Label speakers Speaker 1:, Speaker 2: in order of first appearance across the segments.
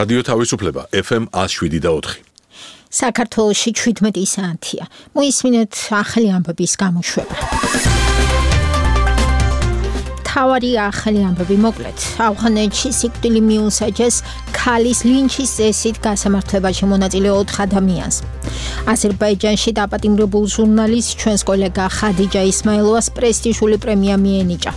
Speaker 1: რადიო თავისუფლება FM 107.4.
Speaker 2: საქართველოში 17 საათია. მოისმინეთ ახალი ამბების გამოშვება. თავარი ახალი ამბები მოკლედ. ავღანეთში სიკვდილი მიუსაჯეს ქალის ლინჩის წესით გასამართლებაში მონაწილე 4 ადამიანს. აზერბაიჯანში დაპატიმრებულ ჟურნალისტს ჩვენს კოლეგა ხადიჯა ისმაილოვას პრესტიჟული პრემია მიენიჭა.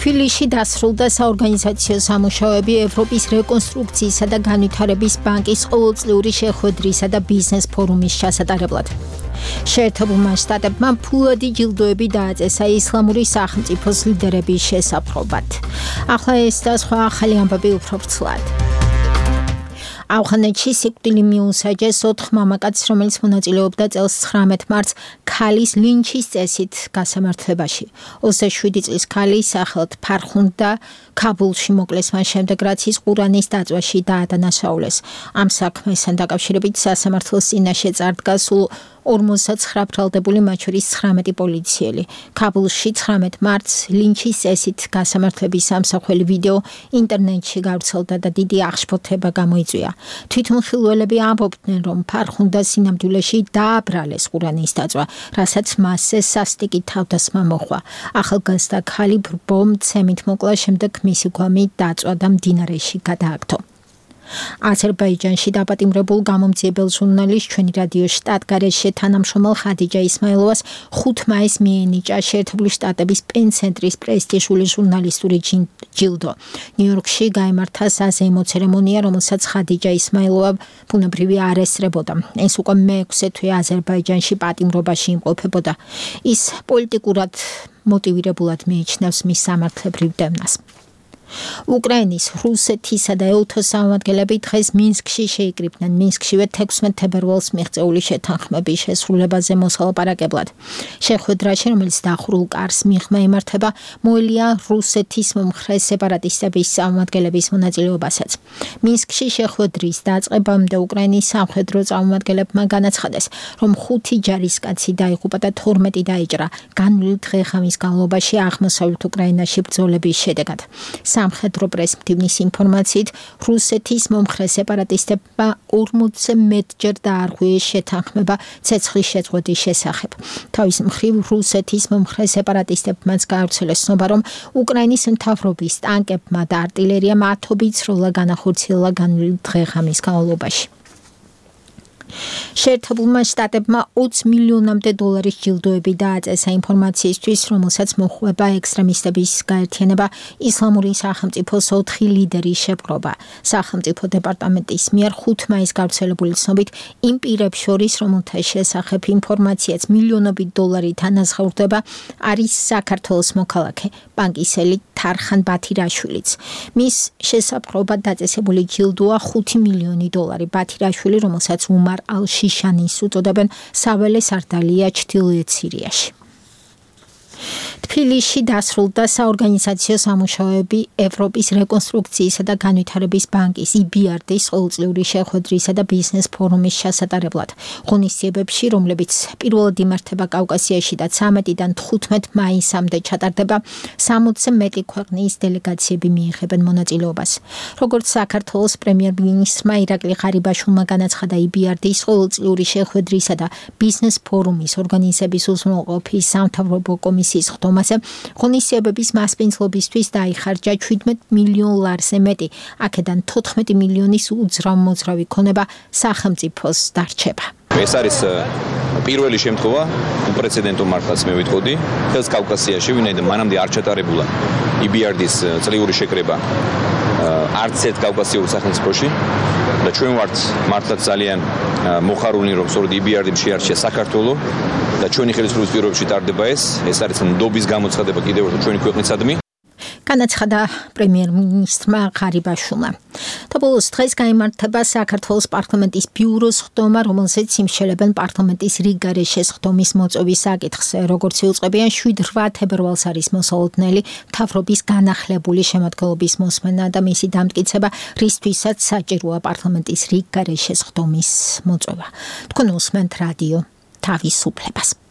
Speaker 2: თბილისში დასრულდა საორგანიზაციო სამუშაოები ევროპის რეკონსტრუქციისა და განვითარების ბანკის ყოველწლიური შეხვედრისა და ბიზნეს ფორუმის ჩასატარებლად. შეერთებულმა შტატებმა ფულადი ჯილდოები დააწესა ისლამური სახელმწიფოს ლიდერების შესაბრობად. ახლა ეს და სხვა ახალი ამბები უფრო ვრცლად. ავღანეთში სიკვდილი მიუსაჯეს 4 მამაკაცს, რომელიც მონაწილეობდა წელს 19 მარტს ქალის ლინჩის წესით გასამართლებაში. 27 წლის ქალი სახელად ფარხუნდა ქაბულში მოკლეს მას შემდეგ, რაც ის ყურანის დაწვაში დაადანაშაულეს. ამ საქმესთან დაკავშირებით სასამართლოს წინაშე წარდგა სულ 59 ბრალდებული, მათ შორის 19 პოლიციელი. ქაბულში 19 მარტს ლინჩის წესით გასამართლების ამსახველი ვიდეო ინტერნეტში გავრცელდა და დიდი აღშფოთება გამოიწვია. თვითმხილველები ამბობდნენ, რომ ფარხუნდა სინამდვილეში დააბრალეს ყურანის დაწვა, რასაც მასზე სასტიკი თავდასხმა მოჰყვა. ახალგაზრდა ქალი ბრბო-მცემით მოკლა, შემდეგ მისი გვამი დაწვა და მდინარეში გადააგდო. აზერბაიჯანში დაპატიმრებულ გამომძიებელ ჟურნალისტს ჩვენი რადიო შტატგარეშე თანამშრომელ ხადიჯა ისმაილოვას 5 მაისს მიენიჭა შეერთებული შტატების პენ-ცენტრის პრესტიჟული ჟურნალისტური ჯილდო. ნიუ-იორკში გაიმართა საზეიმო ცერემონია, რომელსაც ხადიჯა ისმაილოვა ბუნებრივი არ ესწრებოდა. ეს უკვე მე-6 თვე აზერბაიჯანში პატიმრობაში იმყოფებოდა. ის პოლიტიკურად მოტივირებულად მიიჩნევს მის სამართლებრივ დევნას. უკრაინის, რუსეთისა და ეუთოს წარმომადგენლები დღეს მინსკში შეიკრიბნენ. მინსკშივე 16 თებერვალს მიღწეული შეთანხმების შესრულებაზე მოსალაპარაკებლად. შეხვედრაში, რომელიც დახურულ კარს მიღმა იმართება, მოელია რუსეთის მომხრე სეპარატისტების წარმომადგენლების მონაწილეობასაც. მინსკში შეხვედრის დაწყებამდე უკრაინის სამხედრო წარმომადგენლებმა განაცხადეს, რომ 5 ჯარისკაცი დაიღუპა და 12 დაიჭრა განვლილი დღე-ღამის განმავლობაში აღმოსავლეთ უკრაინაში ბრძოლების შედეგად. სამხედრო პრესმდივნის ინფორმაციით, რუსეთის მომხრე სეპარატისტებმა 40-ზე მეტჯერ დაარღვიეს შეთანხმება ცეცხლის შეწყვეტის შესახებ. თავის მხრივ, რუსეთის მომხრე სეპარატისტებმაც გაავრცელეს ცნობა, რომ უკრაინის მთავრობის ტანკებმა და არტილერიამ ათობით სროლა განახორციელა განვლილი დღე-ღამის განმავლობაში. შეერთებულმა შტატებმა 20 მილიონამდე დოლარის ჯილდოები დააწესა ინფორმაციისთვის, რომელსაც მოჰყვება ექსტრემისტების გაერთიანება ისლამური სახელმწიფოს 4 ლიდერის შეპყრობა. სახელმწიფო დეპარტამენტის მიერ 5 მაისს გავრცელებული ცნობით, იმ პირებს შორის, რომელთა შესახებ ინფორმაციაც მილიონობით დოლარით ანაზღაურდება, არის საქართველოს მოქალაქე, ბანკისელი თარხან ბათირაშვილიც. მის შესაბრობად დაწესებული ჯილდოა 5 მილიონი დოლარი. ბათირაშვილი, რომელსაც უმარ ალ-შიშანის უწოდებენ, საველე სარდალია ჩრდილოეთ სირიაში. თბილისში დასრულდა საორგანიზაციო სამუშაოები ევროპის რეკონსტრუქციისა და განვითარების ბანკის EBRD-ის ყოველწლიური შეხვედრისა და ბიზნეს ფორუმის ჩასატარებლად. ღონისძიებებში, რომლებიც პირველად იმართება კავკასიაში და 13-დან 15 მაისამდე ჩატარდება, 60-ზე მეტი ქვეყნის დელეგაციები მიიღებენ მონაწილეობას. როგორც საქართველოს პრემიერ-მინისტრმა ირაკლი ღარიბაშვილმა განაცხადა, EBRD-ის ყოველწლიური შეხვედრისა და ბიზნეს ფორუმის ორგანიზების უზრუნველყოფის სამთავრობო კომისიის ხდომაზე ღონისძიებების მასპინძლობისთვის დაიხარჯა 17 მილიონ ლარზე მეტი. აქედან 14 მილიონის უძრავ-მოძრავი ქონება სახელმწიფოს დარჩება.
Speaker 3: ეს არის პირველი შემთხვევა უპრეცედენტო მართლაც მე ვიტყოდი ხელს კავკასიაში, ვინაიდან მანამდე არ ჩატარებულა EBRD-ის წლიური შეკრება არც ერთ კავკასიურ სახელმწიფოში და ჩვენ ვართ მართლაც ძალიან მოხარულნი, რომ სწორედ EBRD-მ შეარჩია საქართველო და ჩვენი ხელისუფლების პირობებში ტარდება ეს არის ნდობის გამოცხადება კიდევ ერთხელ ჩვენი ქვეყნისადმი.
Speaker 2: განაცხადა პრემიერ-მინისტრმა ღარიბაშვილმა. და ბოლოს დღეს გაიმართება საქართველოს პარლამენტის ბიუროს ხდომა, რომელზეც იმშელებენ პარლამენტის რიგგარეშეს ხდომის მოწვევის საკითხს. როგორც იუწყებიან, 7-8 თებერვალს არის მოსალოდნელი მთავრობის განახლებული შემადგენლობის მოსმენა და მისი დამტკიცება, რისთვისაც საჭიროა პარლამენტის რიგგარეშეს ხდომის მოწვევა. თქვენ უსმენთ რადიო თავისუფლებას.